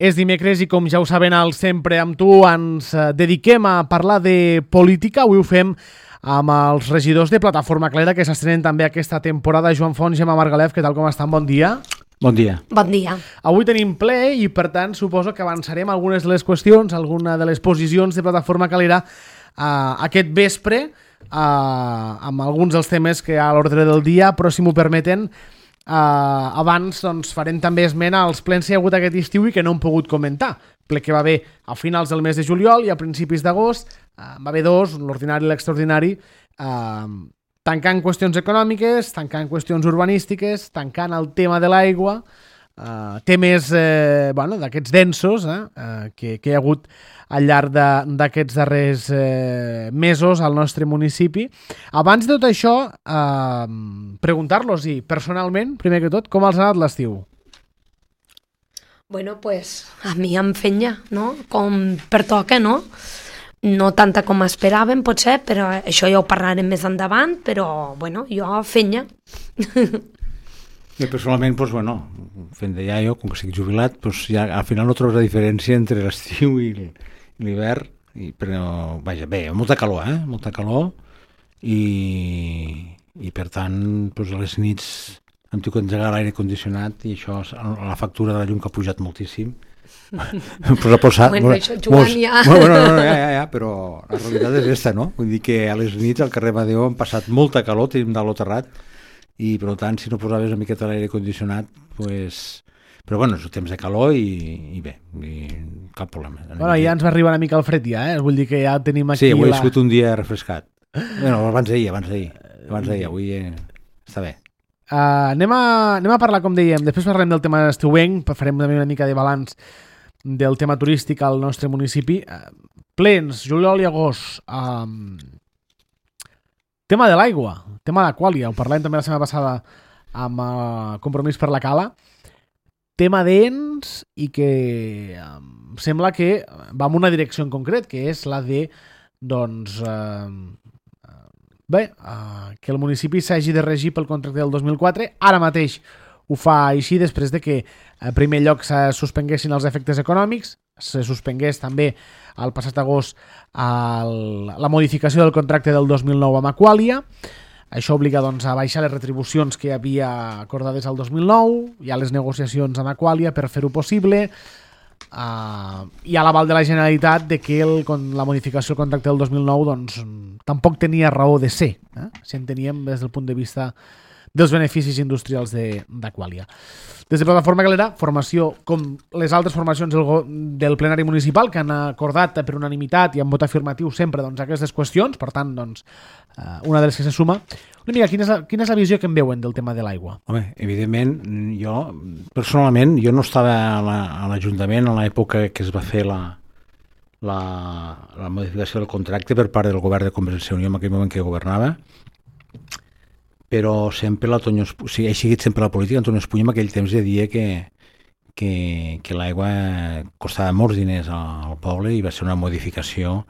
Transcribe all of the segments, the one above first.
És dimecres i, com ja ho saben, al Sempre amb tu ens dediquem a parlar de política. Avui ho fem amb els regidors de Plataforma Clara, que s'estrenen també aquesta temporada. Joan Font, Gemma Margalef, què tal, com estan? Bon dia. Bon dia. Bon dia. Avui tenim ple i, per tant, suposo que avançarem algunes de les qüestions, alguna de les posicions de Plataforma Calera aquest vespre, amb alguns dels temes que hi ha a l'ordre del dia, però, si m'ho permeten, abans doncs, farem també esment als plens que hi ha hagut aquest estiu i que no hem pogut comentar. Ple que va haver a finals del mes de juliol i a principis d'agost, va haver dos, l'ordinari i l'extraordinari, tancant qüestions econòmiques, tancant qüestions urbanístiques, tancant el tema de l'aigua, temes d'aquests densos que hi ha hagut al llarg d'aquests darrers mesos al nostre municipi. Abans de tot això, preguntar-los, personalment, primer que tot, com els ha anat l'estiu? Bueno, pues a mi em fenya, no? Com pertoca, no? No tanta com esperàvem, potser, però això ja ho parlarem més endavant, però, bueno, jo fenya. Jo personalment, doncs, fent de iaio, com que estic jubilat, doncs ja al final no trobes la diferència entre l'estiu i l'hivern, però, vaja, bé, molta calor, molta calor, i per tant, doncs, a les nits hem tingut d'engegar l'aire condicionat i això, la factura de la llum que ha pujat moltíssim. Bueno, això Joan ja... Ja, però la realitat és aquesta, no? Vull dir que a les nits al carrer Madeu han passat molta calor, tenim dalt el terrat, i per tant, si no posaves una miqueta l'aire condicionat, doncs... Però bueno, és un temps de calor i bé, cap problema. Bueno, ja ens va arribar una mica el fred ja, vull dir que ja tenim aquí... Sí, avui ha sigut un dia refrescat. Bueno, abans d'ahir, avui està bé. Anem a parlar, com dèiem, després parlarem del tema estiuenc, farem també una mica de balanç del tema turístic al nostre municipi. Plens, juliol i agost. Tema de l'aigua, tema d'Aquàlia, ho parlem també la setmana passada amb Compromís per la Cala. Tema d'ens i que sembla que va en una direcció en concret, que és la de, doncs, que el municipi s'hagi de regir pel contracte del 2004. Ara mateix ho fa així després de que, en primer lloc, se suspenguessin els efectes econòmics, se suspengués també el passat agost la modificació del contracte del 2009 amb Aquàlia. Això obliga, doncs, a baixar les retribucions que hi havia acordades al 2009, hi ha les negociacions amb Aquàlia per fer-ho possible, hi ha l'aval de la Generalitat de que la modificació del contracte del 2009 doncs, tampoc tenia raó de ser, si en teníem des del punt de vista dels beneficis industrials d'Aquàlia. Des de Plataforma Calera, formació com les altres formacions del plenari municipal que han acordat per unanimitat i amb vot afirmatiu sempre doncs, aquestes qüestions, per tant, doncs, una de les que se suma. Una mica, quina és la visió que en veuen del tema de l'aigua? Home, evidentment, jo personalment, jo no estava a l'Ajuntament en l'època que es va fer la modificació del contracte per part del govern de Convergència i Unió en aquell moment que governava, però sempre he seguit sempre la política. Antonio Espuny en aquell temps deia que l'aigua costava molts diners al poble i va ser una modificació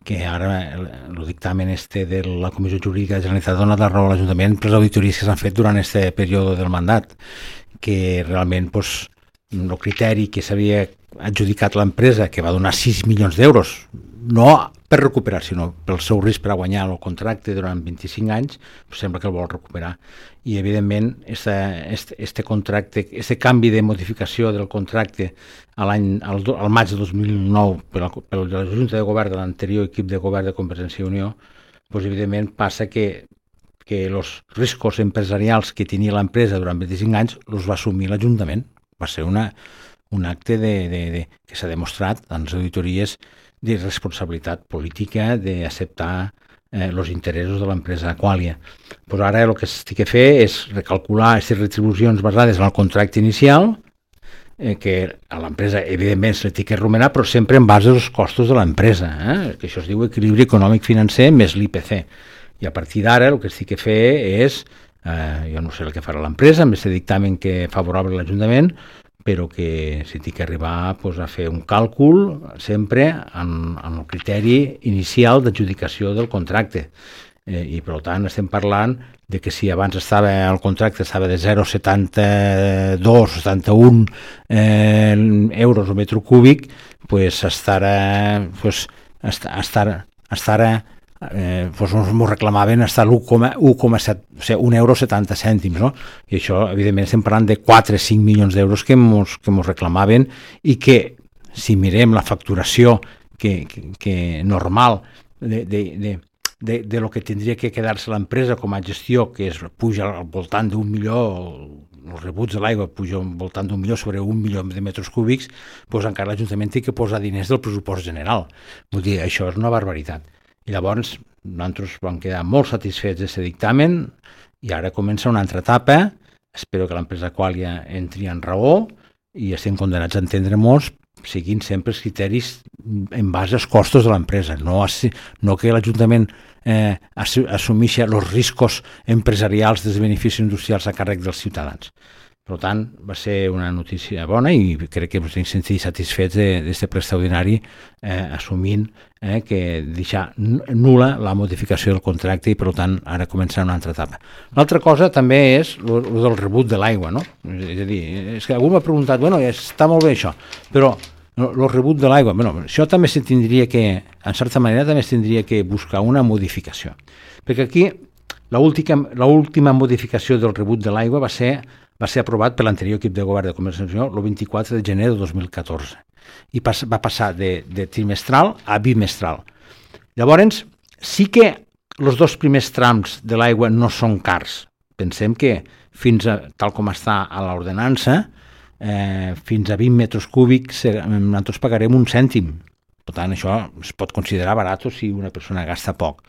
que ara el dictamen de la Comissió Jurídica de la Generalitat ha donat la raó a l'Ajuntament per les auditories que s'han fet durant aquest període del mandat, que realment el criteri que s'havia adjudicat l'empresa, que va donar 6 milions d'euros, no per recuperar, sinó pel seu risc per a guanyar el contracte durant 25 anys, sembla que el vol recuperar. I, evidentment, este contracte, este canvi de modificació del contracte al maig de 2009 per la Junta de Govern de l'anterior equip de govern de Convergència i Unió, doncs, evidentment, passa que els riscos empresarials que tenia l'empresa durant 25 anys els va assumir l'Ajuntament. Va ser un acte que s'ha demostrat en les auditories de responsabilitat política, d'acceptar els interessos de l'empresa Aquàlia. Pues ara el que s'ha de fer és recalcular aquestes retribucions basades en el contracte inicial, que a l'empresa, evidentment, se li ha de remunerar, però sempre en base als costos de l'empresa, que això es diu equilibri econòmic-financer més l'IPC. I a partir d'ara el que s'ha de fer és, jo no sé el que farà l'empresa, amb aquest dictamen que favorable a l'Ajuntament, però que s'ha d'arribar a fer un càlcul sempre en el criteri inicial d'adjudicació del contracte. I per tant estem parlant de que si abans el contracte estava de 0,72 o 71 euros o metro cúbic, pues estarà ens reclamaven hasta l'1,7, o sigui, 1,70 €, no? I això, evidentment, estem parlant de 4-5 milions d'euros que mos reclamaven, i que, si mirem la facturació que normal de lo que tindria que quedar-se l'empresa com a gestió, que puja al voltant d'1 milió, els rebuts de l'aigua puja al voltant d'1 milió sobre 1 milió de metres cúbics, doncs encara l'Ajuntament té que posar diners del pressupost general. Vull dir, això és una barbaritat. I llavors nosaltres vam quedar molt satisfets d'aquest dictamen, i ara comença una altra etapa. Espero que l'empresa Qualia entri en raó i estem condenats a entendre-nos seguint sempre els criteris en base als costos de l'empresa, no que l'Ajuntament assumeixi els riscos empresarials dels beneficis industrials a càrrec dels ciutadans. Per tant, va ser una notícia bona, i crec que ens hem sentit satisfets d'aquest ple extraordinari, assumint que deixar nul·la la modificació del contracte, i per tant ara comença una altra etapa. L'altra cosa també és el del rebut de l'aigua, no? És a dir, és que algú m'ha preguntat, bueno, està molt bé això, però el rebut de l'aigua, bueno, això també se tindria que, en certa manera, també es tindria que buscar una modificació. Perquè aquí l'última modificació del rebut de l'aigua va ser aprovat per l'anterior equip de govern de Convergència el 24 de gener de 2014, i va passar de trimestral a bimestral. Llavors, sí que els dos primers trams de l'aigua no són cars. Pensem que tal com està a l'ordenança, fins a 20 metres cúbics nosaltres pagarem 1 cèntim. Per tant, això es pot considerar barat si una persona gasta poc.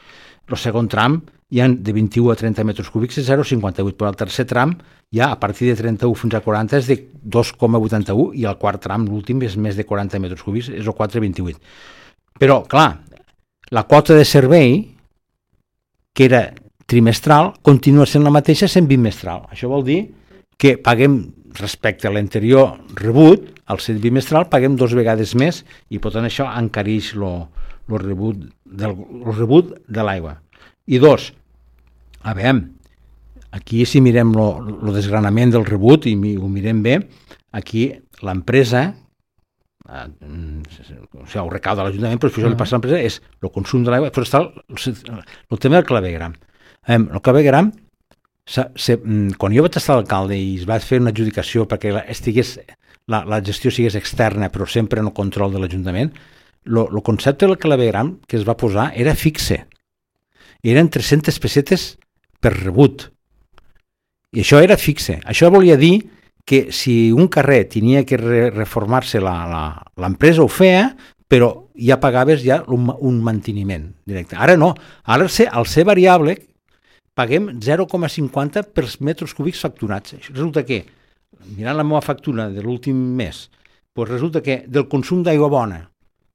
El segon tram, ja de 21 a 30 metres cúbics, és 0,58, però el tercer tram, ja a partir de 31 fins a 40, és de 2,81, i el quart tram, l'últim, és més de 40 metres cúbics, és el 4,28. Però, clar, la quota de servei, que era trimestral, continua sent la mateixa sent bimestral. Això vol dir que paguem, respecte a l'anterior rebut, al ser bimestral, paguem 2 vegades més, i per tant això encareix el rebut de l'aigua. I dos, a veure, aquí si mirem el desgranament del rebut, i ho mirem bé, aquí l'empresa, o sigui, ho recauda l'Ajuntament, però això li passa a l'empresa, és el consum de l'aigua, però està el tema del clavegram. El clavegram, quan jo vaig estar alcalde i es va fer una adjudicació perquè la gestió sigués externa, però sempre en el control de l'Ajuntament, el concepte del clavegram que es va posar era fixe. Eren 300 pessetes per rebut. I això era fixe. Això volia dir que si un carrer tenia que reformar-se, l'empresa ho feia, però ja pagaves un manteniment directe. Ara no. Ara, al ser variable, paguem 0,50 per metres cúbics facturats. Resulta que, mirant la meva factura de l'últim mes, resulta que del consum d'aigua bona,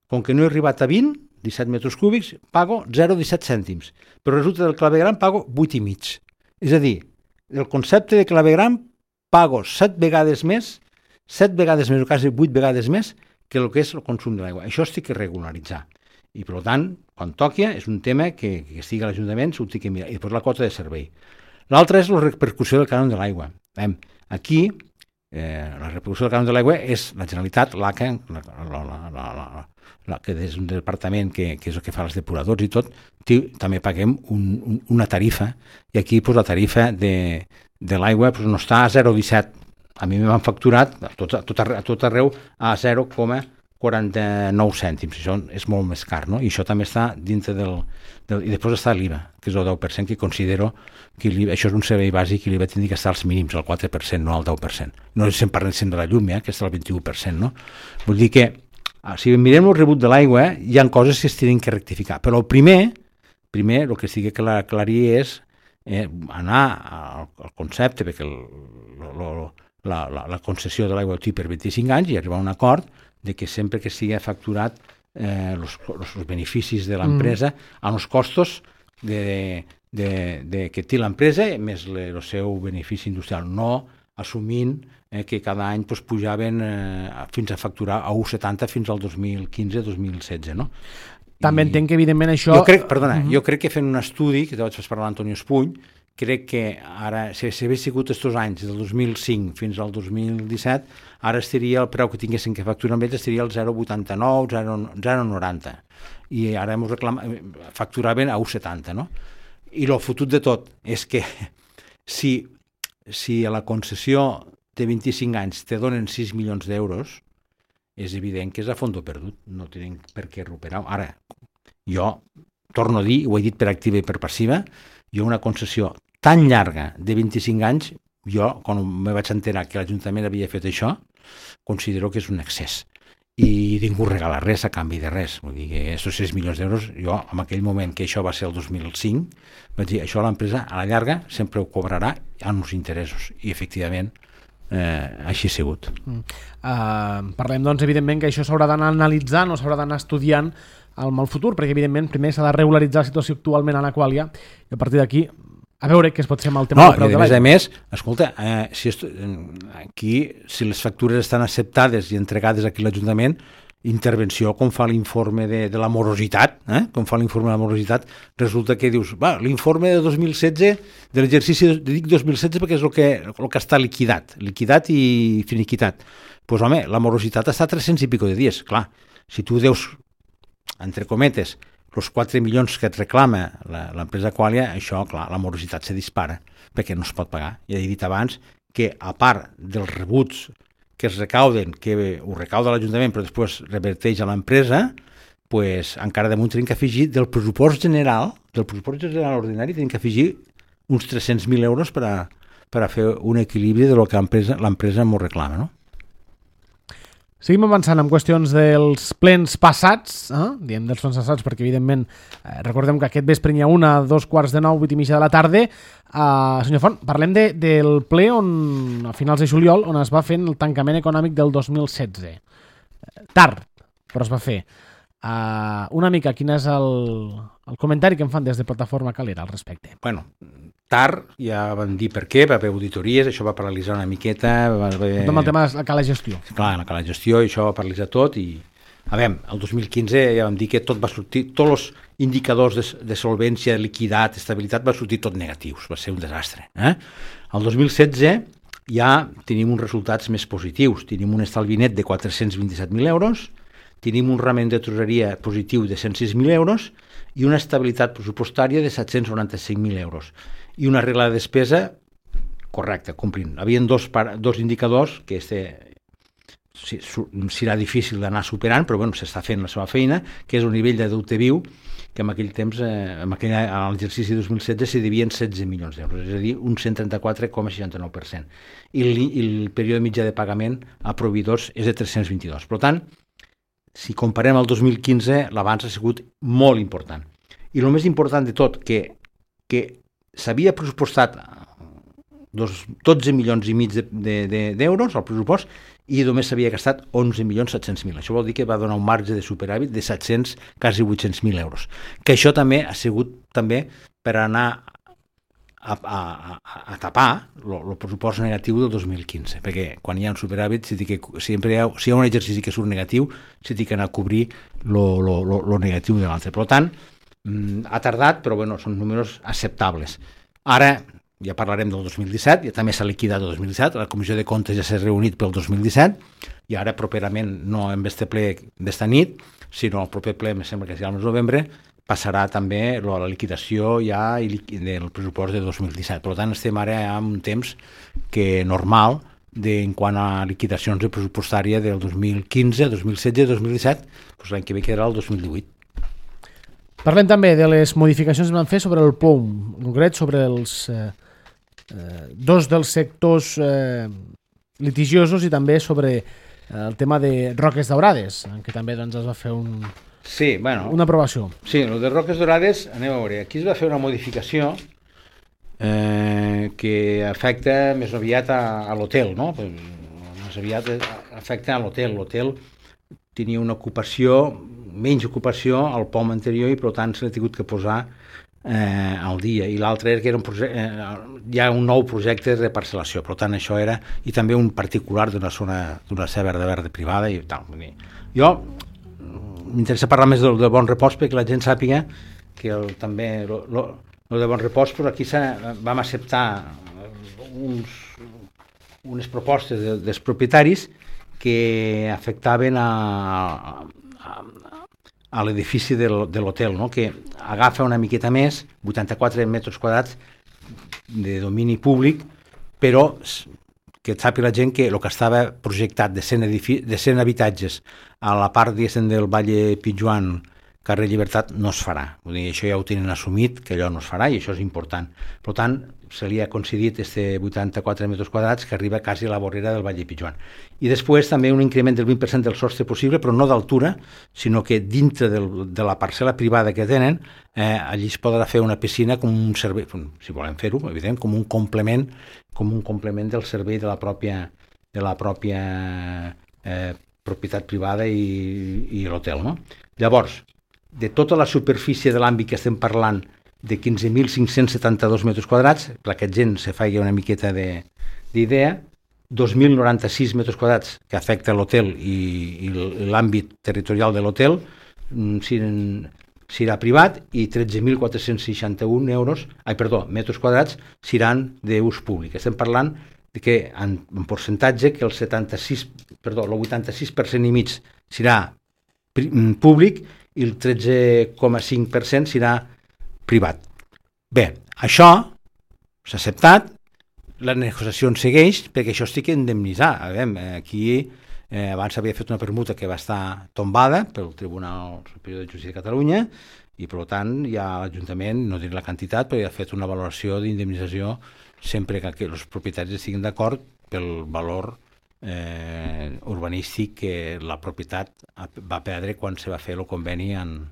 com que no he arribat a 17 metres cúbics, pago 0,17 cèntims. Però resulta del clavegram pago 8,5. És a dir, del concepte de clavegram pago 7 vegades més, o quasi 8 vegades més, que el que és el consum de l'aigua. Això es té que regularitzar. I, per tant, quan toqui, és un tema que estigui a l'Ajuntament, s'ho té que mirar. I després la quota de servei. L'altra és la repercussió del cànon de l'aigua. Aquí, la repercussió del cànon de l'aigua és la Generalitat, l'ACA, que és un departament que és el que fa els depuradors i tot, també paguem una tarifa, i aquí la tarifa de l'aigua no està a 0,17. A mi m'han facturat a tot arreu a 0,49 cèntims. Això és molt més car, no? I això també està dintre i després està l'IVA, que és el 10%, que considero que això és un servei bàsic i l'IVA tindria que estar als mínims, al 4%, no al 10%. No estem parlant de la llum, que està al 21%, no? Vull dir que si mirem el rebut de l'aigua, hi ha coses que es tenen que rectificar. Però el primer el que estigui que aclarir és anar al concepte, perquè la concessió de l'aigua té per 25 anys, i arribar a un acord de que sempre que sigui facturat els beneficis de l'empresa amb els costos que té l'empresa més el seu benefici industrial, no assumint que cada any pujaven fins a facturar a 1,70 fins al 2015-2016, no? També entenc que, evidentment, això... Jo crec que fent un estudi, que te vaig parlar l'Antonio Espuny, crec que ara, si hagués sigut aquests anys, del 2005 fins al 2017, ara estaria el preu que tinguessin que facturar amb ells, estaria el 0,89, 0,90. I ara facturaven a 1,70, no? I el fotut de tot és que si a la concessió de 25 anys te donen 6 milions d'euros, és evident que és a fondo perdut, no tenen per què recuperar. Ara, jo torno a dir, ho he dit per activa i per passiva, jo una concessió tan llarga de 25 anys, jo, quan me vaig enterar que l'Ajuntament havia fet això, considero que és un excés. I ningú regala res a canvi de res. Vull dir que aquests 6 milions d'euros, jo, en aquell moment que això va ser el 2005, vaig dir, això l'empresa a la llarga sempre ho cobrarà amb uns interessos. I, efectivament, així ha sigut. Parlem, doncs, evidentment, que això s'haurà d'anar analitzant o s'haurà d'anar estudiant al futur, perquè, evidentment, primer s'ha de regularitzar la situació actualment en Aqualia i a partir d'aquí a veure què es pot fer amb el tema del preu de l'aigua. A més, escolta, aquí, si les factures estan acceptades i entregades aquí a l'Ajuntament, intervenció, com fa l'informe de la morositat, resulta que dius, l'informe de 2016, de l'exercici, dic 2016 perquè és el que està liquidat i finiquitat. Doncs, home, la morositat està a 300 i pico de dies. Clar, si tu deus, entre cometes, els 4 milions que et reclama l'empresa Aqualia, això, clar, la morositat se dispara, perquè no es pot pagar. Ja he dit abans que, a part dels rebuts que es recauden, que ho recauda l'Ajuntament, però després reverteix a l'empresa, pues, encara damunt tenim que afegir del pressupost general ordinari, tenim que afegir uns 300.000 euros per a fer un equilibri del que l'empresa m'ho reclama, no? Seguim avançant amb qüestions dels plens passats, diem dels plens passats perquè, evidentment, recordem que aquest vespre n'hi ha una a 2:45, 8:30 de la tarda. Senyor Font, parlem del ple a finals de juliol, on es va fer el tancament econòmic del 2016. Tard, però es va fer. Una mica, quin és el comentari que em fan des de Plataforma Calera al respecte? Bueno, tard, ja vam dir per què, va haver auditories, això va paralitzar una miqueta. Amb el tema de la cala gestió. Clar, la cala gestió, i això va paralitzar tot, i a veure, el 2015 ja vam dir que tot va sortir, tots els indicadors de solvència, liquidat, estabilitat, va sortir tot negatius, va ser un desastre. El 2016 ja tenim uns resultats més positius, tenim un estalvi net de 427.000 euros, tenim un rament de tresoreria positiu de 106.000 euros i una estabilitat pressupostària de 795.000 euros. I una regla de despesa correcta, complint. Havien dos indicadors que serà difícil d'anar superant, però bueno, s'està fent la seva feina, que és un nivell de deute viu que en aquell temps, a l'exercici 2016, s'hi devien 16 milions d'euros, és a dir, un 134,69%. I el període mitjà de pagament a proveïdors és de 322. Per tant, si comparem el 2015, l'avanç ha sigut molt important. I el més important de tot, que s'havia pressupostat 12 milions i mig d'euros al pressupost i només s'havia gastat 11.700.000. Això vol dir que va donar un marge de superàvit de 700, quasi 800.000 euros. Que això també ha sigut per anar a tapar el pressupost negatiu del 2015, perquè quan hi ha un superàvit, si hi ha un exercici que surt negatiu, s'ha d'anar a cobrir el negatiu de l'altre. Per tant, ha tardat, però bueno, són números acceptables. Ara ja parlarem del 2017, ja també s'ha liquidat el 2017, la Comissió de Comptes ja s'ha reunit pel 2017, i ara properament, no en este ple d'esta nit, sinó el proper ple, em sembla que serà el mes de novembre, passarà també la liquidació ja del pressupost de 2017. Per tant, estem ara en un temps que normal en quant a liquidacions pressupostària del 2015, 2016, 2017, doncs l'any que ve quedarà el 2018. Parlem també de les modificacions que van fer sobre el POUM, en concret sobre els dos dels sectors litigiosos i també sobre el tema de Roques Daurades, en què també doncs, es va fer una aprovació. Sí, el de Roques Daurades, anem a veure, aquí es va fer una modificació que afecta més aviat a l'hotel, no? Més aviat afecta a l'hotel. L'hotel tenia una menys ocupació al POM anterior i per tant se l'ha tingut que posar al dia, i l'altre era que hi ha un nou projecte de parcel·lació, per tant això era, i també un particular d'una zona verda privada i tal. Jo m'interessa parlar més del Bon Repòs perquè la gent sàpiga que també el de Bon Repòs, però aquí vam acceptar unes propostes dels propietaris que afectaven a l'edifici de l'hotel, no? Que agafa una miqueta més, 84 metres quadrats de domini públic, però que sàpiga la gent que el que estava projectat de 100 habitatges a la part del Valle Pijuan, carrer Llibertat, no es farà. Vull dir, això ja ho tenen assumit, que allò no es farà, i això és important. Per tant, se li ha concedit 84 metres quadrats que arriba quasi a la vorera del Valle Pijuan. I després també un increment del 20% del sostre possible, però no d'altura, sinó que dintre de la parcel·la privada que tenen, allí es podrà fer una piscina com un servei, si volem fer-ho, evident, com un complement del servei de la pròpia propietat privada i l'hotel, no? Llavors, de tota la superfície de l'àmbit que estem parlant, de 15.572 metres quadrats, perquè la gent se faci una miqueta d'idea, 2.096 metres quadrats que afecta l'hotel i l'àmbit territorial de l'hotel serà privat i 13.461 metres quadrats seran d'ús públic. Estem parlant de que en percentatge que el 86% i mig serà públic i el 13,5% serà privat. Bé, això s'ha acceptat, la negociació segueix perquè això estic indemnitzat. Aquí abans s'havia fet una permuta que va estar tombada pel Tribunal Superior de Justícia de Catalunya i per tant ja l'Ajuntament, no diré la quantitat, però ja ha fet una valoració d'indemnització sempre que els propietaris estiguin d'acord pel valor urbanístic que la propietat va perdre quan se va fer el conveni en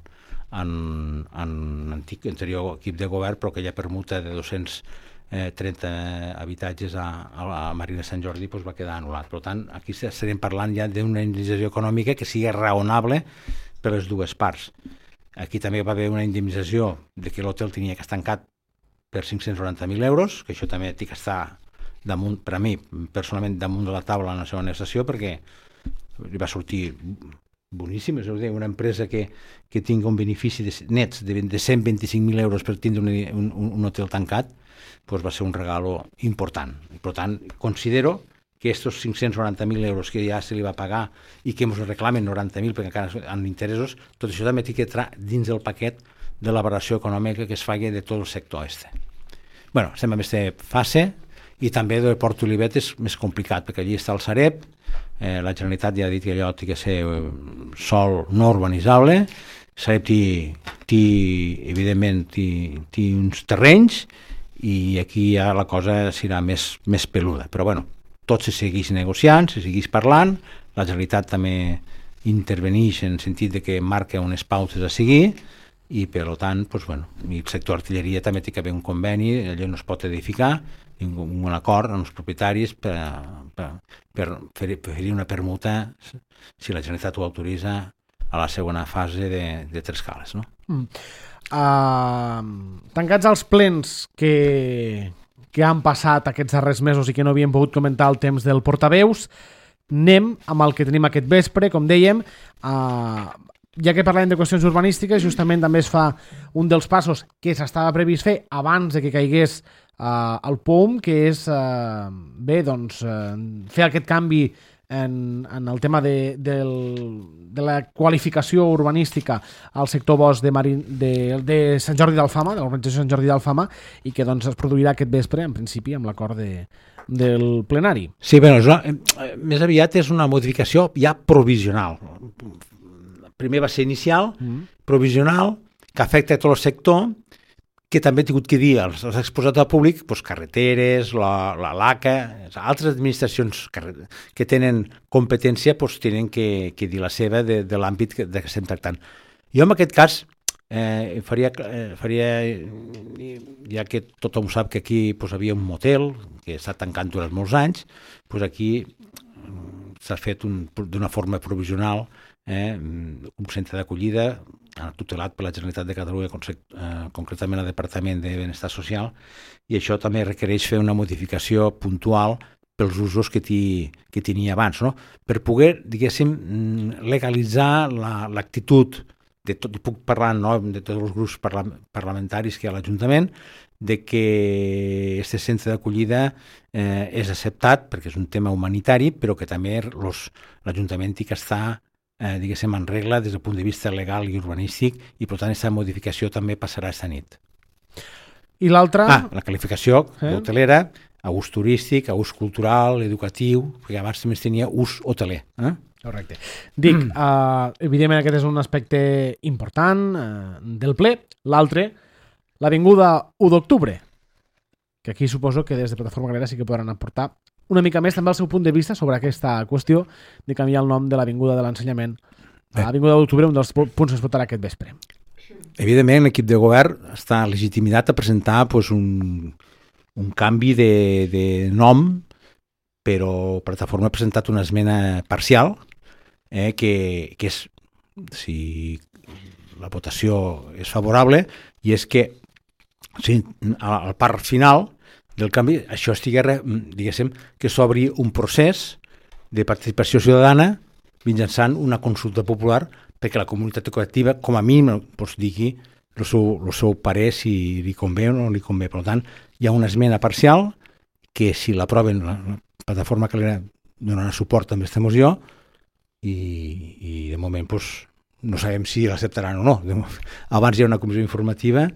anterior equip de govern, però aquella permuta de 230 habitatges a Marina Sant Jordi va quedar anul·lat. Per tant, aquí estarem parlant ja d'una indemnització econòmica que sigui raonable per les dues parts. Aquí també va haver una indemnització de que l'hotel tenia que estar tancat per 590.000 euros, que això també té que estar damunt, per a mi, personalment, damunt de la taula en la seva negociació, perquè li va sortir boníssim, és a dir, una empresa que tingui un benefici nets de 125.000 euros per tindre un hotel tancat, doncs va ser un regalo important. Per tant, considero que aquests 590.000 euros que ja se li va pagar i que ens reclamen 90.000 perquè encara en interessos, tot això també té que entrar dins del paquet de la valoració econòmica que es faci de tot el sector este. Bé, estem en aquesta fase i també del Port Olivet és més complicat perquè allí està el Sareb, la Generalitat ja ha dit que allò té que ser sòl no urbanitzable, Sareb evidentment té uns terrenys i aquí ja la cosa serà més peluda, però bueno, tot se segueix negociant, se segueix parlant, la Generalitat també interveneix en el sentit de que marca unes pautes a seguir i per tant, el sector artilleria també té que haver un conveni, allò no es pot edificar, un acord amb els propietaris per fer una permuta si la Generalitat ho autoritza a la segona fase de Tres Cales, no? Tancats els plens que han passat aquests darrers mesos i que no havíem pogut comentar el temps del portaveus, anem amb el que tenim aquest vespre, com dèiem, ja que parlem de qüestions urbanístiques, justament també es fa un dels passos que s'estava previst fer abans de que caigués el POUM, que és fer aquest canvi en el tema de la qualificació urbanística al sector bosc de Sant Jordi d'Alfama, de l'organització Sant Jordi d'Alfama, i que es produirà aquest vespre, en principi, amb l'acord del plenari. Sí, més aviat és una modificació ja provisional. Primer va ser inicial, provisional, que afecta tot el sector, que també he tingut que dir als exposats al públic, carreteres, la LACA, altres administracions que tenen competència tenen que dir la seva de l'àmbit que estem tractant. Jo en aquest cas faria ja que tothom sap que aquí havia un motel que està tancant durant molts anys, aquí s'ha fet d'una forma provisional un centre d'acollida tutelat per la Generalitat de Catalunya, concretament el Departament de Benestar Social, i això també requereix fer una modificació puntual pels usos que tenia abans, no? Per poder, diguéssim, legalitzar l'actitud de tot, i puc parlar en nom de tots els grups parlamentaris que hi ha a l'Ajuntament, de que aquest centre d'acollida és acceptat perquè és un tema humanitari, però que també l'Ajuntament té que estar, diguéssim, en regla des del punt de vista legal i urbanístic, i per tant aquesta modificació també passarà esta nit. I l'altra? La qualificació d'hotelera, a ús turístic, a ús cultural, educatiu, perquè abans també tenia ús hoteler. Correcte. Dic, evidentment aquest és un aspecte important del ple. L'altre, l'avinguda 1 d'octubre, que aquí suposo que des de Plataforma Galera sí que podran aportar una mica més també el seu punt de vista sobre aquesta qüestió de canviar el nom de l'avinguda de l'ensenyament a l'avinguda d'octubre, un dels punts que es votarà aquest vespre. Evidentment, l'equip de govern està legitimitat a presentar un canvi de nom, però Plataforma ha presentat una esmena parcial que és, si la votació és favorable, i és que al part final del canvi això diguéssim, que s'obri un procés de participació ciutadana mitjançant una consulta popular perquè la comunitat educativa, com a mínim, digui el seu parer si li convé o no li convé. Per tant, hi ha una esmena parcial que, si l'aproven, la Plataforma Calera donarà suport a aquesta moció i de moment no sabem si l'acceptaran o no. Abans hi ha una comissió informativa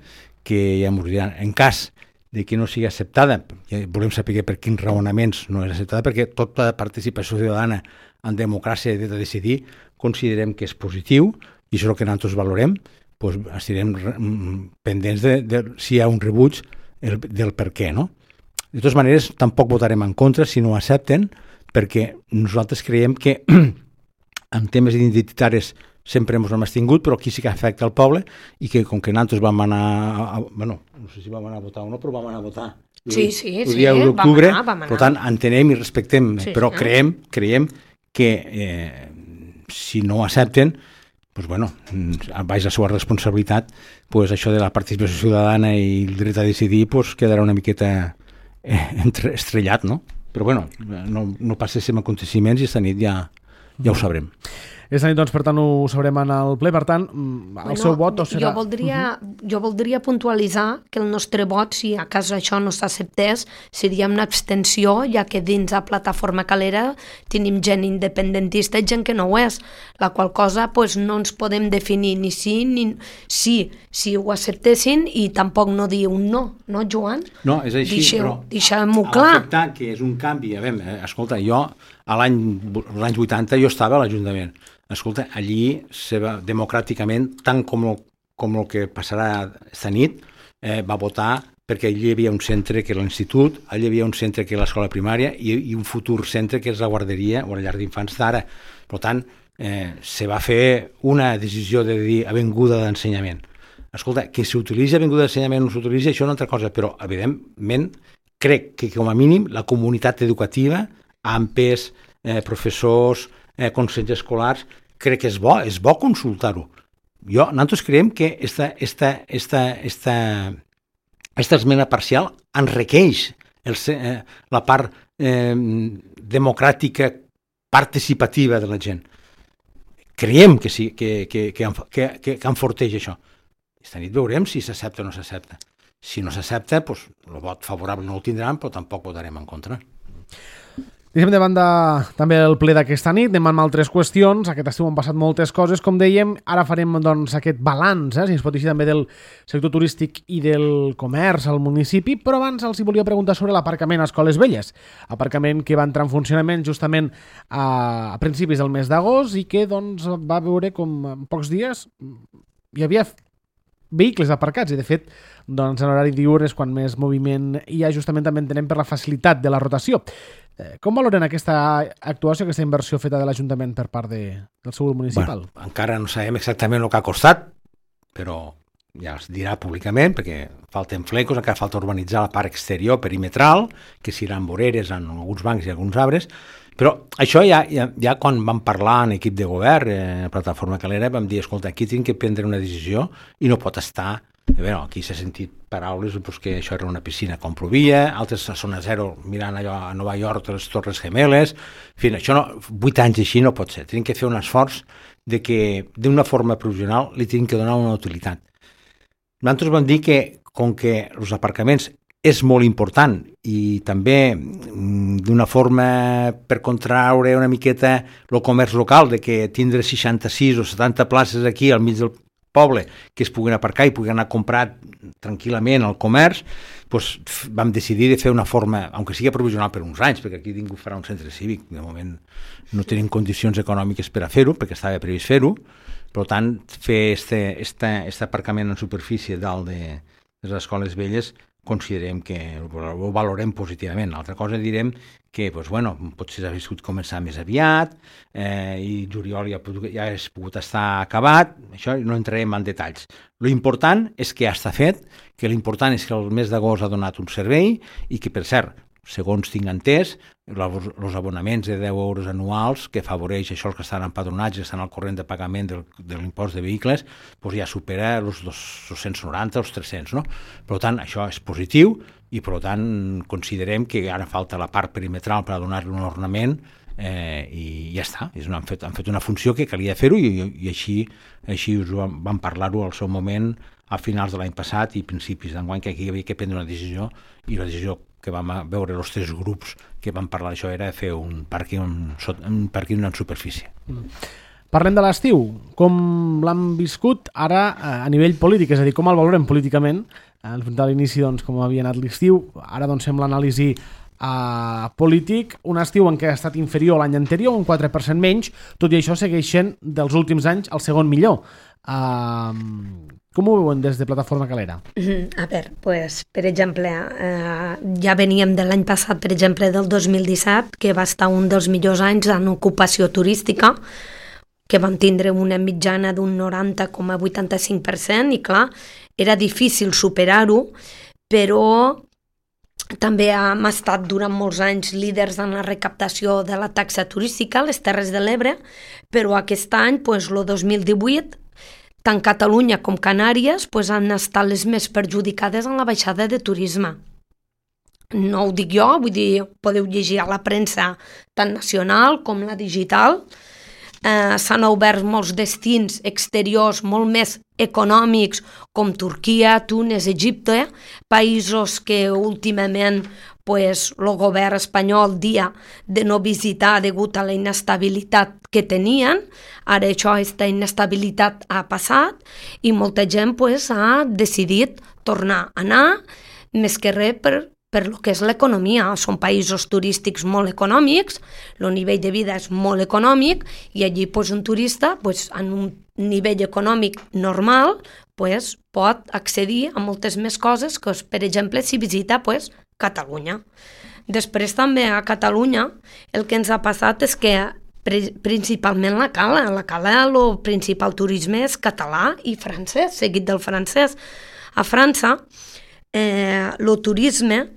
que ja m'ho diran. En cas de que no sigui acceptada, volem saber per quins raonaments no és acceptada, perquè tota participació ciutadana en democràcia i dret a decidir considerem que és positiu, i això és el que nosaltres valorem. Estarem pendents de si hi ha un rebuig del per què, no? De totes maneres, tampoc votarem en contra si no ho accepten, perquè nosaltres creiem que en temes identitaris sempre ens hem abstingut, però aquí sí que afecta el poble, i que com que nosaltres vam anar no sé si vam anar a votar o no, però vam anar a votar el dia 1 d'octubre, vam anar. Per tant entenem i respectem, però creiem que si no ho accepten, baix la seva responsabilitat, això de la participació ciutadana i el dret a decidir quedarà una miqueta estrellat, no? Però no passéssim aconteciments i esta nit ja ho sabrem. Aquesta nit, doncs, per tant, ho sabrem en el ple. Per tant, el seu vot serà... Jo voldria puntualitzar que el nostre vot, si a cas això no s'acceptés, seria una abstenció, ja que dins la Plataforma Calera tenim gent independentista i gent que no ho és, la qual cosa no ens podem definir ni sí ni sí, si ho acceptessin, i tampoc no dir un no, Joan? No, és així, però deixem-ho clar. Acceptar que és un canvi, escolta, jo a l'any 80 jo estava a l'Ajuntament. Escolta, allí democràticament, tant com el que passarà esta nit, va votar perquè allí hi havia un centre que era l'institut, allí hi havia un centre que era l'escola primària i un futur centre que és la guarderia o la llar d'infants d'ara. Per tant, se va fer una decisió de dir avinguda d'ensenyament. Escolta, que s'utilitzi avinguda d'ensenyament o no s'utilitzi, això és una altra cosa, però evidentment crec que com a mínim la comunitat educativa, AMPEs, professors, consells escolars, crec que és bo consultar-ho. Nosaltres creiem que esta esmena parcial enriqueix la part democràtica participativa de la gent. Creiem que sí, que enforteix això. Esta nit veurem si s'accepta o no s'accepta. Si no s'accepta, el vot favorable no el tindran, però tampoc votarem en contra. Deixem de banda també el ple d'aquesta nit, anem amb altres qüestions. Aquest estiu han passat moltes coses, com dèiem. Ara farem aquest balanç, si es pot dir també, del sector turístic i del comerç al municipi, però abans els volia preguntar sobre l'aparcament a Escoles Velles. Aparcament que va entrar en funcionament justament a principis del mes d'agost i que va veure com en pocs dies hi havia vehicles aparcats i, de fet, en horari diürn és quan més moviment hi ha, justament també entenem per la facilitat de la rotació. Com valoren aquesta actuació, aquesta inversió feta de l'Ajuntament per part del seu grup municipal? Encara no sabem exactament el que ha costat, però ja es dirà públicament, perquè falten flecos, encara falta urbanitzar la part exterior perimetral, que seran voreres en alguns bancs i alguns arbres, però això ja quan vam parlar en equip de govern, Plataforma Calera, vam dir, escolta, aquí tinc que prendre una decisió i no pot estar Aquí s'ha sentit paraules que això era una piscina com plovia, altres a zona zero mirant allò a Nova York, les Torres Gemeles, en fi, això 8 anys així no pot ser, tenim que fer un esforç de que d'una forma provisional li tenim que donar una utilitat. Nosaltres vam dir que com que els aparcaments és molt important i també d'una forma per contraure una miqueta el comerç local, de que tindre 66 o 70 places aquí al mig del poble que es puguin aparcar i puguin anar a comprar tranquil·lament al comerç, doncs vam decidir de fer una forma, aunque sigui provisional per uns anys, perquè aquí ningú farà un centre cívic, de moment no tenim condicions econòmiques per a fer-ho, perquè estava previst fer-ho, per tant, fer este aparcament en superfície dalt de les escoles velles considerem que ho valorem positivament. L'altra cosa direm que potser hauria pogut començar més aviat i juliol ja hauria pogut estar acabat, això no entrarem en detalls. L'important és que ja està fet, que l'important és que el mes d'agost ha donat un servei i que, per cert, segons tinc entès, els abonaments de 10 euros anuals que afavoreix això els que estan empadronats i estan al corrent de pagament de l'impost de vehicles, doncs ja supera els 290 o els 300, no? Per tant, això és positiu i per tant considerem que ara falta la part perimetral per donar-li un ornament i ja està. Han fet una funció que calia fer-ho i així us vam parlar-ho al seu moment a finals de l'any passat i principis d'enguany, que aquí hi havia que prendre una decisió i la decisió que vam veure els 3 grups que vam parlar d'això era fer un pàrquing en superfície. Parlem de l'estiu. Com l'han viscut ara a nivell polític? És a dir, com el valorem políticament? A l'inici, com havia anat l'estiu, ara sembla anàlisi polític, un estiu en què ha estat inferior l'any anterior, un 4% menys, tot i això segueix sent dels últims anys el segon millor. Com ho veuen des de Plataforma Calera? A veure, per exemple, ja veníem de l'any passat, per exemple, del 2017, que va estar un dels millors anys en ocupació turística, que vam tindre una mitjana d'un 90,85% i clar, era difícil superar-ho, però també hem estat durant molts anys líders en la recaptació de la taxa turística a les Terres de l'Ebre, però aquest any, el 2018, tant Catalunya com Canàries han estat les més perjudicades en la baixada de turisme. No ho dic jo, vull dir, podeu llegir a la premsa tant nacional com la digital. S'han obert molts destins exteriors molt més econòmics com Turquia, Túnez, Egipte, països que últimament el govern espanyol dia de no visitar degut a la inestabilitat que tenien. Ara aquesta inestabilitat ha passat i molta gent ha decidit tornar a anar, més que res per lo que és l'economia. Són països turístics molt econòmics, el nivell de vida és molt econòmic i allí un turista en un nivell econòmic normal pot accedir a moltes més coses que, per exemple, si visita Catalunya. Després també a Catalunya el que ens ha passat és que principalment la Cala, el principal turisme és català i francès, seguit del francès. A França el turisme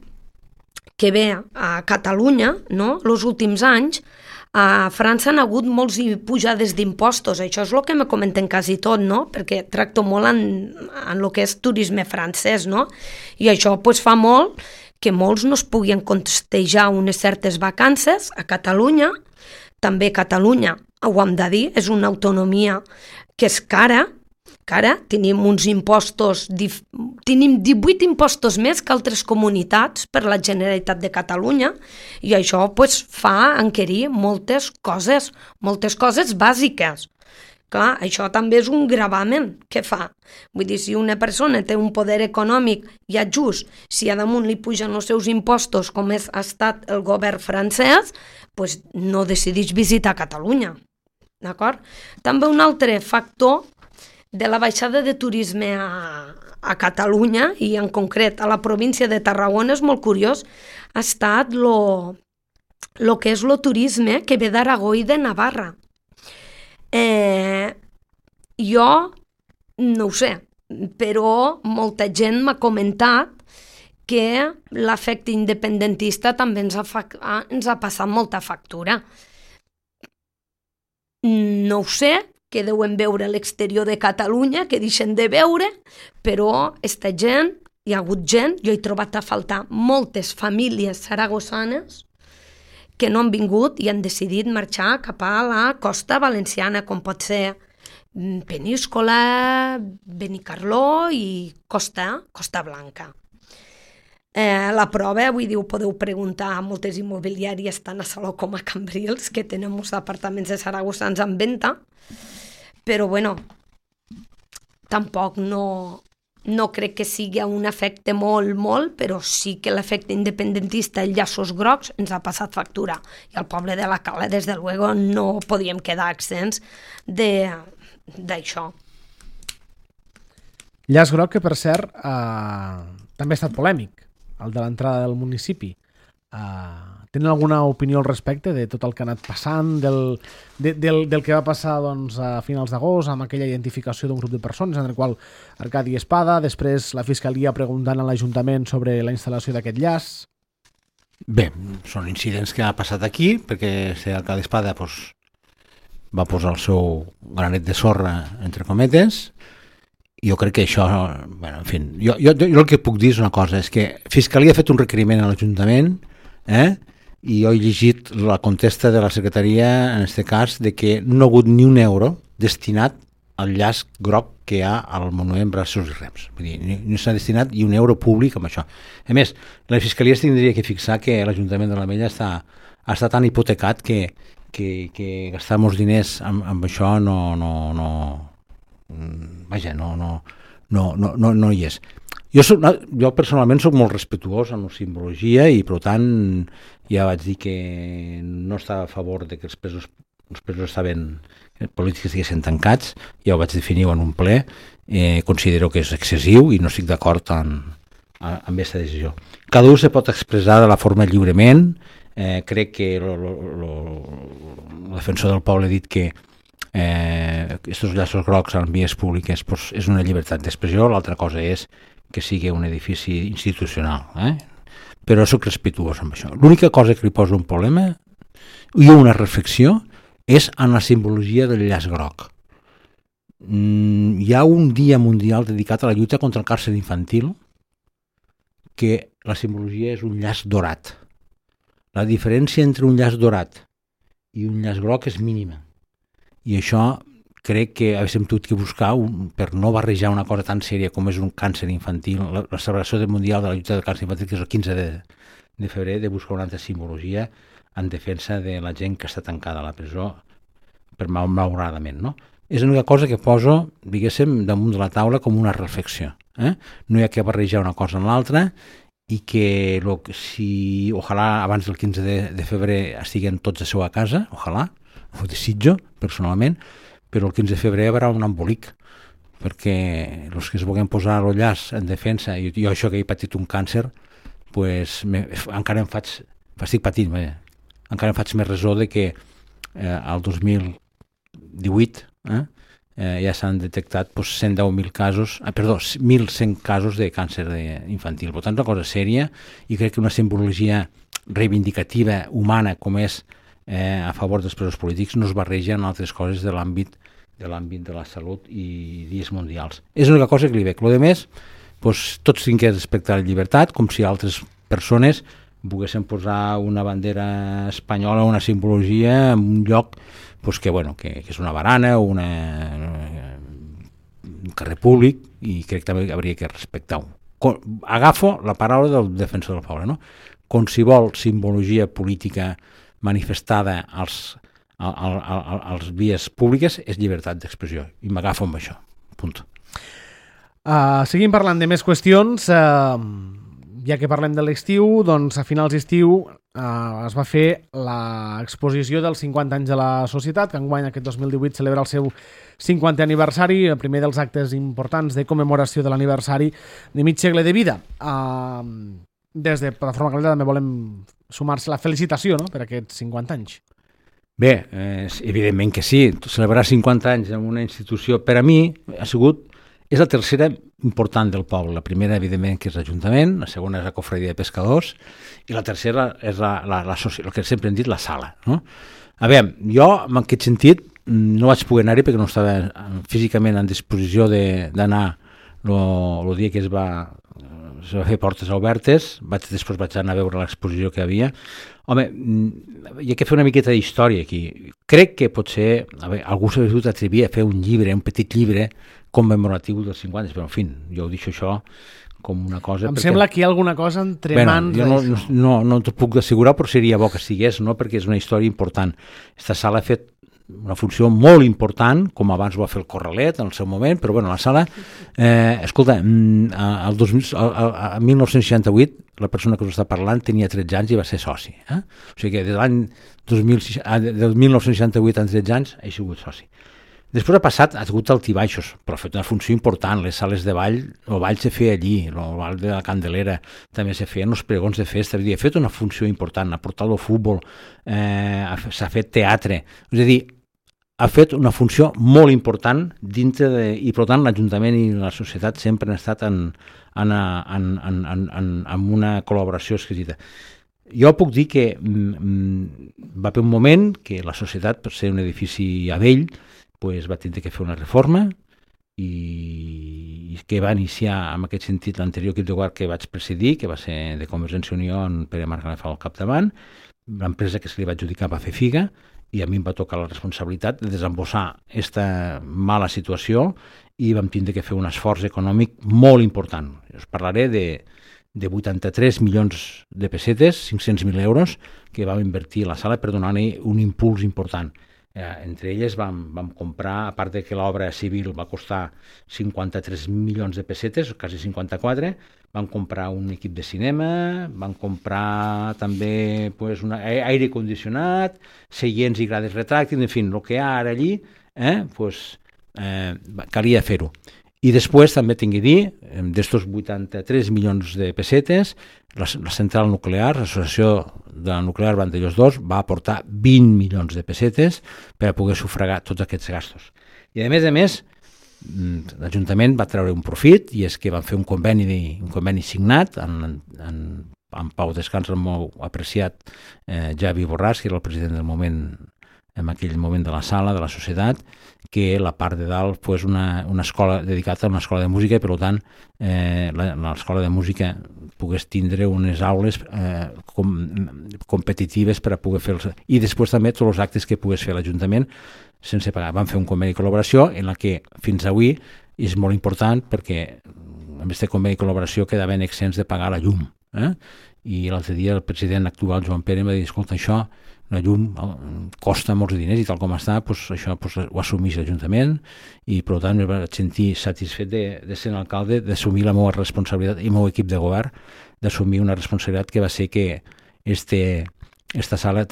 que ve a Catalunya, no? Els últims anys, a França han hagut molts pujades d'impostos, això és el que me comenten quasi tot, no? Perquè tracto molt en el que és turisme francès, no? I això fa molt que molts no es puguin costejar unes certes vacances a Catalunya. També Catalunya, ho hem de dir, és una autonomia que és cara, tenim uns impostos, tenim 18 impostos més que altres comunitats per la Generalitat de Catalunya i això fa enquerir moltes coses bàsiques. Clar, això també és un gravamen que fa. Vull dir, si una persona té un poder econòmic ja just, si a damunt li pugen els seus impostos com ha estat el govern francès, no decideix visitar Catalunya. D'acord? També un altre factor de la baixada de turisme a Catalunya i en concret a la província de Tarragona és molt curiós, ha estat lo que és el turisme que ve d'Aragó i de Navarra. Jo no ho sé, però molta gent m'ha comentat que l'efecte independentista també ens ha passat molta factura. No ho sé, que deuen veure l'exterior de Catalunya, que deixen de veure, però esta gent, hi ha hagut gent, jo he trobat a faltar moltes famílies saragossanes que no han vingut i han decidit marxar cap a la costa valenciana, com pot ser Peníscola, Benicarló i Costa Blanca. La prova, vull dir, ho podeu preguntar a moltes immobiliàries tant a Salou com a Cambrils, que tenen molts apartaments de saragossans en venda, però bueno, tampoc no crec que sigui un efecte molt, però sí que l'efecte independentista, els llaços grocs, ens ha passat factura. I al poble de la Cala, des de luego, no podíem quedar accents d'això. Llaç groc que, per cert, també ha estat polèmic, el de l'entrada del municipi. Tenen alguna opinió al respecte de tot el que ha anat passant, del que va passar doncs, a finals d'agost amb aquella identificació d'un grup de persones en el qual Arcadi Espada, després la Fiscalia preguntant a l'Ajuntament sobre la instal·lació d'aquest llaç? Bé, són incidents que ha passat aquí, perquè Arcadi Espada va posar el seu granet de sorra, entre cometes. Jo crec que això, bueno, en fi, jo el que puc dir és una cosa, és que Fiscalia ha fet un requeriment a l'Ajuntament, i jo he llegit la contesta de la Secretaria, en aquest cas, de que no ha hagut ni un euro destinat al llaç groc que hi ha al monument Braços i Rems. Vull dir, no s'ha destinat ni un euro públic amb això. A més, la Fiscalia tindria que fixar que l'Ajuntament de l'Ametlla està tan hipotecat que gastar molts diners amb això no hi és. Jo personalment soc molt respectuós amb la simbologia i per tant ja vaig dir que no estava a favor de que els presos polítics estiguessin tancats, ja ho vaig definir en un ple, considero que és excessiu i no estic d'acord amb aquesta decisió. Cada un se pot expressar de la forma lliurement, crec que el defensor del poble ha dit que aquests llaços grocs en vies públiques és una llibertat d'expressió, l'altra cosa és que sigui un edifici institucional, però soc respectuós amb això. L'única cosa que li posa un problema i una reflexió és en la simbologia del llaç groc. Hi ha un dia mundial dedicat a la lluita contra el càncer infantil que la simbologia és un llaç dorat. La diferència entre un llaç dorat i un llaç groc és mínima. I això crec que haguéssim hagut que buscar per no barrejar una cosa tan sèria com és un càncer infantil, la celebració mundial de la lluita del càncer infantil, que és el 15 de febrer, de buscar una altra simbologia en defensa de la gent que està tancada a la presó per malauradament, no? És l'única cosa que poso, diguéssim, damunt de la taula com una reflexió. No hi ha que barrejar una cosa en l'altra i que si ojalà abans del 15 de febrer estiguen tots a seva casa, ojalà, ho desitjo personalment, però el 15 de febrer hi haurà un embolic, perquè els que es vulguin posar el llaç en defensa, i jo això que he patit un càncer, pues, encara estic patint, encara em faig més resó de que al 2018 ja s'han detectat 110.000 casos, 1.100 casos de càncer infantil. Per tant, una cosa sèria, i crec que una simbologia reivindicativa, humana, com és a favor dels presos polítics, no es barreja en altres coses de l'àmbit de la salut i dies mundials. És l'única cosa que li veig. Lo de més, tots tinguem que respectar la llibertat, com si altres persones volguessin posar una bandera espanyola o una simbologia en un lloc que és una barana o un carrer públic, i crec que també hauria que respectar-ho. Agafo la paraula del defensor del poble, no? Qualsevol simbologia política manifestada als vies públiques és llibertat d'expressió, i m'agafo amb això. Punt. Seguim parlant de més qüestions. Ja que parlem de l'estiu, doncs a finals d'estiu es va fer l'exposició dels 50 anys de la societat, que enguany aquest 2018 celebra el seu 50è aniversari, el primer dels actes importants de commemoració de l'aniversari de mig segle de vida. Des de Plataforma Calera també volem sumar-se la felicitació, no?, per aquests 50 anys. Bé, evidentment que sí. Celebrar 50 anys en una institució, per a mi, és la tercera important del poble. La primera, evidentment, que és l'Ajuntament, la segona és la Cofradia de Pescadors, i la tercera és el que sempre hem dit, la sala, no? A veure, jo, en aquest sentit, no vaig poder anar-hi perquè no estava físicament en disposició d'anar el dia que es va fer portes obertes. Després vaig anar a veure l'exposició que hi havia. Home, hi ha que fer una miqueta d'història aquí. Crec que potser algú s'ha vingut a atrevir a fer un petit llibre commemoratiu dels 50, però en fi, jo ho deixo això com una cosa... Em sembla que hi ha alguna cosa entre mans... Jo no t'ho puc assegurar, però seria bo que estigués, no? Perquè és una història important. Aquesta sala ha fet una funció molt important, com abans ho va fer el Corralet en el seu moment, però bueno, la sala... escolta, el 1968 la persona que us està parlant tenia 13 anys i va ser soci. O sigui que des de l'any 1968 a 13 anys ha sigut soci. Després ha hagut altibaixos, però ha fet una funció important. Les sales de ball, el ball se feia allí, el ball de la Candelera, també se feien els pregons de festa. Ha fet una funció important, ha portat el futbol, s'ha fet teatre. És a dir, ha fet una funció molt important dintre de... I per tant l'Ajuntament i la societat sempre han estat en una col·laboració exquisita. Jo puc dir que va haver un moment que la societat, per ser un edifici a vell, va tindre que fer una reforma i que va iniciar en aquest sentit l'anterior equip de govern que vaig presidir, que va ser de Convergència i Unió en Pere Margalef al capdavant. L'empresa que se li va adjudicar va fer figa i a mi em va tocar la responsabilitat de desembossar aquesta mala situació i vam tindre que fer un esforç econòmic molt important. Us parlaré de 83 milions de pessetes, 500.000 euros, que vam invertir a la sala per donar-hi un impuls important. Entre elles vam comprar, a part de que l'obra civil va costar 53 milions de pessetes, quasi 54, vam comprar un equip de cinema, vam comprar també un aire condicionat, seients i grades retràctils, en fi, el que hi ha ara allí, calia fer-ho. I després també tinc que dir, d'estos 83 milions de pessetes, la central nuclear, l'associació de la nuclear Vandellós 2, va aportar 20 milions de pessetes per a poder sufragar tots aquests gastos. I a més, l'Ajuntament va treure un profit i és que van fer un conveni signat en pau descans el molt apreciat Javi Borràs, que era el president del moment, en aquell moment de la sala, de la societat, que la part de dalt fos una escola dedicada a una escola de música i per tant l'escola de música pogués tindre unes aules competitives per a poder fer i després també tots els actes que pogués fer l'Ajuntament sense pagar. Vam fer un conveni de col·laboració en la que fins avui és molt important perquè amb aquest conveni de col·laboració quedaven exempts de pagar la llum. I l'altre dia el president actual, Joan Pere, em va dir, escolta, això la llum costa molts diners i tal com està, això ho assumís l'Ajuntament i per tant em vaig sentir satisfet de ser l'alcalde, d'assumir la meva responsabilitat i el meu equip de govern, d'assumir una responsabilitat que va ser que esta sala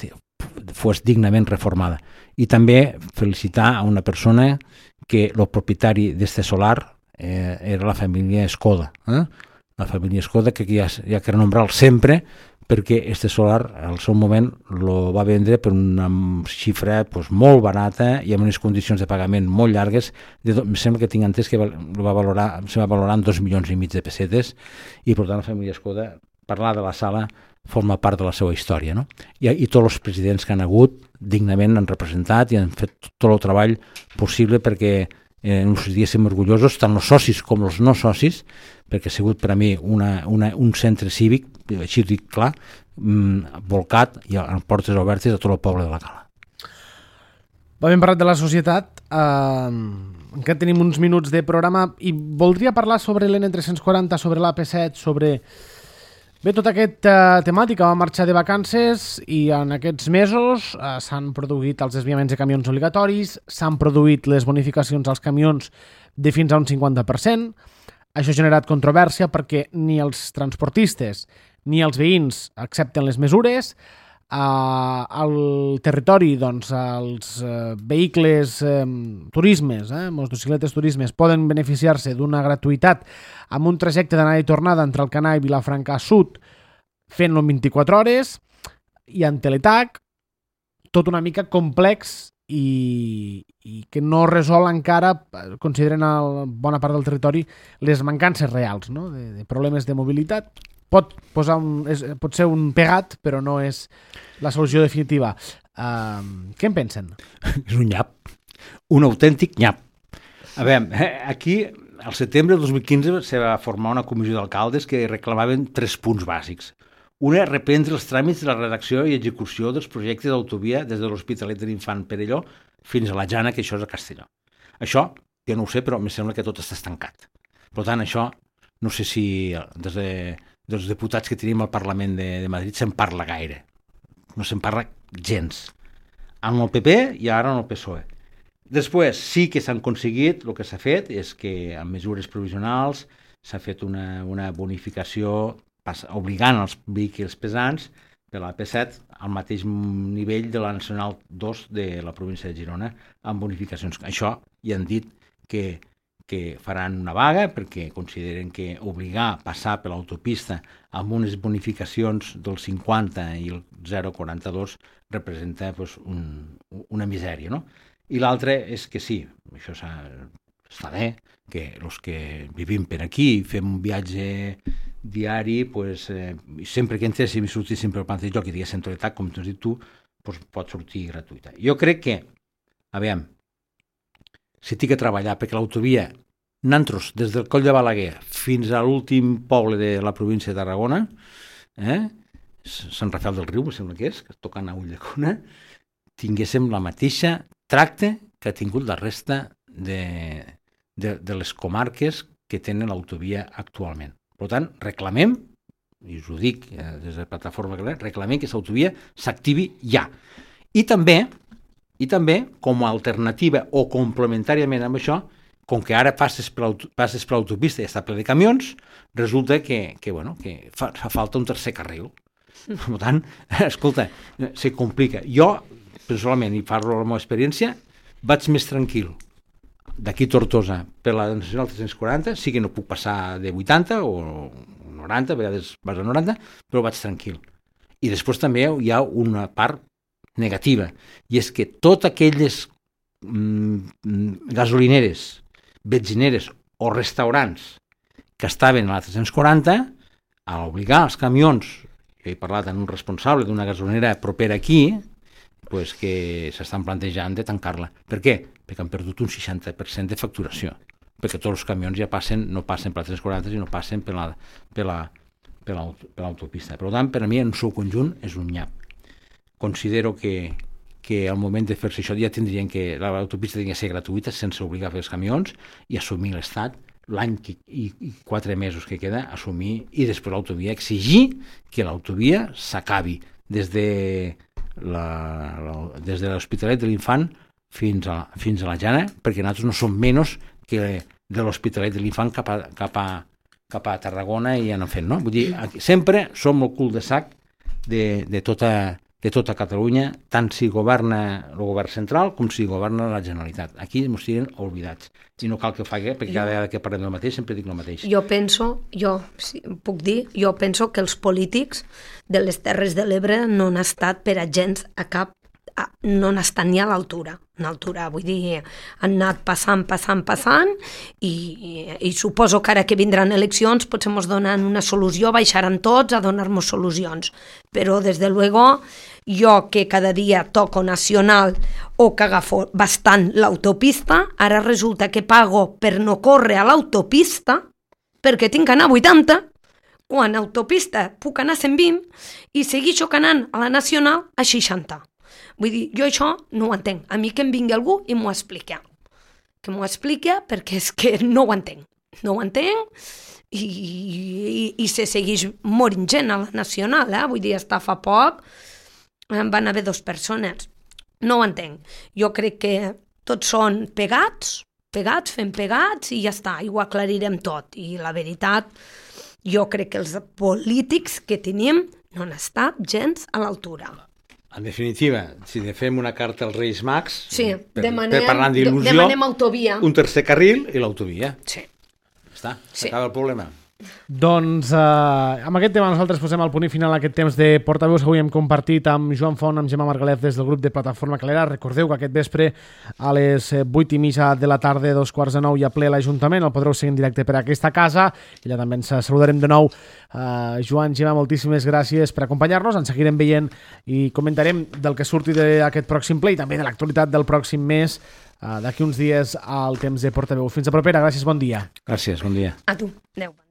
fos dignament reformada. I també felicitar a una persona que el propietari d'este solar era la família Escoda. La família Escoda, que ja cal nombrar-lo sempre, perquè este solar al seu moment lo va vendre per una xifra molt barata i amb unes condicions de pagament molt llargues. Em sembla que tinc entès que se va valorar en 2,5 milions de pessetes i per tant la família Escoda, parlar de la sala forma part de la seva història, no? I tots els presidents que han hagut dignament han representat i han fet tot el treball possible perquè en uns dies som orgullosos, tant els socis com els no socis, perquè ha sigut per a mi un centre cívic, així ho dic clar, volcat i amb portes obertes a tot el poble de la Cala. Hem parlat de la societat, encara tenim uns minuts de programa i voldria parlar sobre l'N340, sobre l'AP7, sobre... Bé, tota aquesta temàtica va marxar de vacances i en aquests mesos s'han produït els desviaments de camions obligatoris, s'han produït les bonificacions als camions de fins a un 50%. Això ha generat controvèrsia perquè ni els transportistes ni els veïns accepten les mesures. Al territori, doncs, els vehicles turismes, motocicletes turismes, poden beneficiar-se d'una gratuïtat amb un trajecte d'anada i tornada entre Alcanar i Vilafranca Sud fent-lo en 24 hores i en Teletac, tot una mica complex i que no resol encara, consideren a bona part del territori, les mancances reals, no? de problemes de mobilitat. Pot ser un pegat, però no és la solució definitiva. Què en pensen? És un nyap. un autèntic nyap. A veure, aquí, al setembre del 2015, se va formar una comissió d'alcaldes que reclamaven 3 punts bàsics. Una, reprendre els tràmits de la redacció i execució dels projectes d'autovia des de l'Hospitalet de l'Infant Perelló fins a la Jana, que això és a Castelló. Això, jo no ho sé, però em sembla que tot està estancat. Per tant, això, no sé si dels diputats que tenim al Parlament de Madrid se'n parla gaire. No se'n parla gens. Amb el PP i ara amb el PSOE. Després, sí que s'han aconseguit, el que s'ha fet és que amb mesures provisionals s'ha fet una bonificació obligant els vehicles pesants de la P7 al mateix nivell de la Nacional 2 de la província de Girona, amb bonificacions. Això ja han dit que faran una vaga perquè consideren que obligar a passar per l'autopista amb unes bonificacions del 50 i el 0,42 representa pues, una misèria, no? I l'altre és que sí, això està bé, que els que vivim per aquí fem un viatge diari, pues, sempre que entréssim i sortíssim per el plantell joc i diguéssim toletat, com t'has dit tu, pues, pot sortir gratuïta. Jo crec que, aviam, si tinc que treballar perquè l'autovia Nantros, des del Coll de Balaguer fins a l'últim poble de la província de Tarragona, Sant Rafael del Riu, em sembla que tocant a Ulldecona, tinguéssim la mateixa tracte que ha tingut la resta de les comarques que tenen l'autovia actualment. Per tant, reclamem, i us ho dic des de la plataforma, reclamem que l'autovia s'activi ja. I també, com a alternativa o complementàriament amb això, com que ara passes per l'autopista i està ple de camions, resulta que fa falta un tercer carril. Per tant, escolta, se complica. Jo, personalment, i parlo de la meva experiència, vaig més tranquil d'aquí Tortosa per la Nacional 340, sí que no puc passar de 80 o 90, a vegades vas a 90, però vaig tranquil. I després també hi ha una part negativa, i és que totes aquelles gasolineres, benzineres o restaurants que estaven a la 340, a obligar els camions, jo he parlat amb un responsable d'una gasolinera propera aquí, pues que s'estan plantejant de tancar-la. Per què? Perquè han perdut un 60% de facturació, perquè tots els camions ja no passen per la 340 sinó passen per l'autopista. Per tant, per a mi, en el seu conjunt, és un nyap. Considero que al moment de fer-se això ja tindrien que l'autopista hauria de ser gratuïta sense obligar a fer els camions i assumir l'Estat l'any i 4 mesos que queda, assumir, i després l'autovia, exigir que l'autovia s'acabi des de l'Hospitalet de l'Infant fins a la Jana, perquè nosaltres no som menys que de l'Hospitalet de l'Infant cap a Tarragona i anem fent, no? Vull dir, sempre som el cul de sac de tota Catalunya, tant si governa el govern central com si governa la Generalitat. Aquí ens tenen oblidats. I no cal que ho faci, perquè cada vegada que parlem del mateix sempre dic el mateix. Jo penso que els polítics de les Terres de l'Ebre no han estat per a gens no han estat ni a l'altura. Vull dir, han anat passant i suposo que ara que vindran eleccions potser ens donen una solució, baixaran tots a donar-nos solucions. Però, des de luego, jo que cada dia toco nacional o que agafo bastant l'autopista, ara resulta que pago per no córrer a l'autopista perquè tinc que anar a 80, quan a autopista puc anar a 120 i segueixo anant a la nacional a 60. Vull dir, jo això no ho entenc. A mi que em vingui algú i m'ho expliqui. Que m'ho expliqui perquè és que no ho entenc. No ho entenc i se segueix morint gent a la nacional. Vull dir, està fa poc van haver 2 persones. No ho entenc. Jo crec que tots són pegats, fem pegats i ja està. I ho aclarirem tot. I la veritat, jo crec que els polítics que tenim no han estat gens a l'altura. En definitiva, si fem una carta als Reis Mags, per parlar d'il·lusió, demanem autovia. Un tercer carril i l'autovia. Sí. Està, s'acaba el problema. Doncs amb aquest tema nosaltres posem el punt i final a aquest temps de portaveus que avui hem compartit amb Joan Font, amb Gemma Margalef des del grup de Plataforma Calera. Recordeu que aquest vespre a les 8:30 de la tarda, 8:45 hi ha ple a l'Ajuntament, el podreu seguir en directe per aquesta casa i allà també ens saludarem de nou. Joan, Gemma, moltíssimes gràcies per acompanyar-nos, ens seguirem veient i comentarem del que surti d'aquest pròxim ple i també de l'actualitat del pròxim mes d'aquí uns dies al temps de portaveu. Fins a propera, gràcies, bon dia. Gràcies, bon dia. A tu, adeu.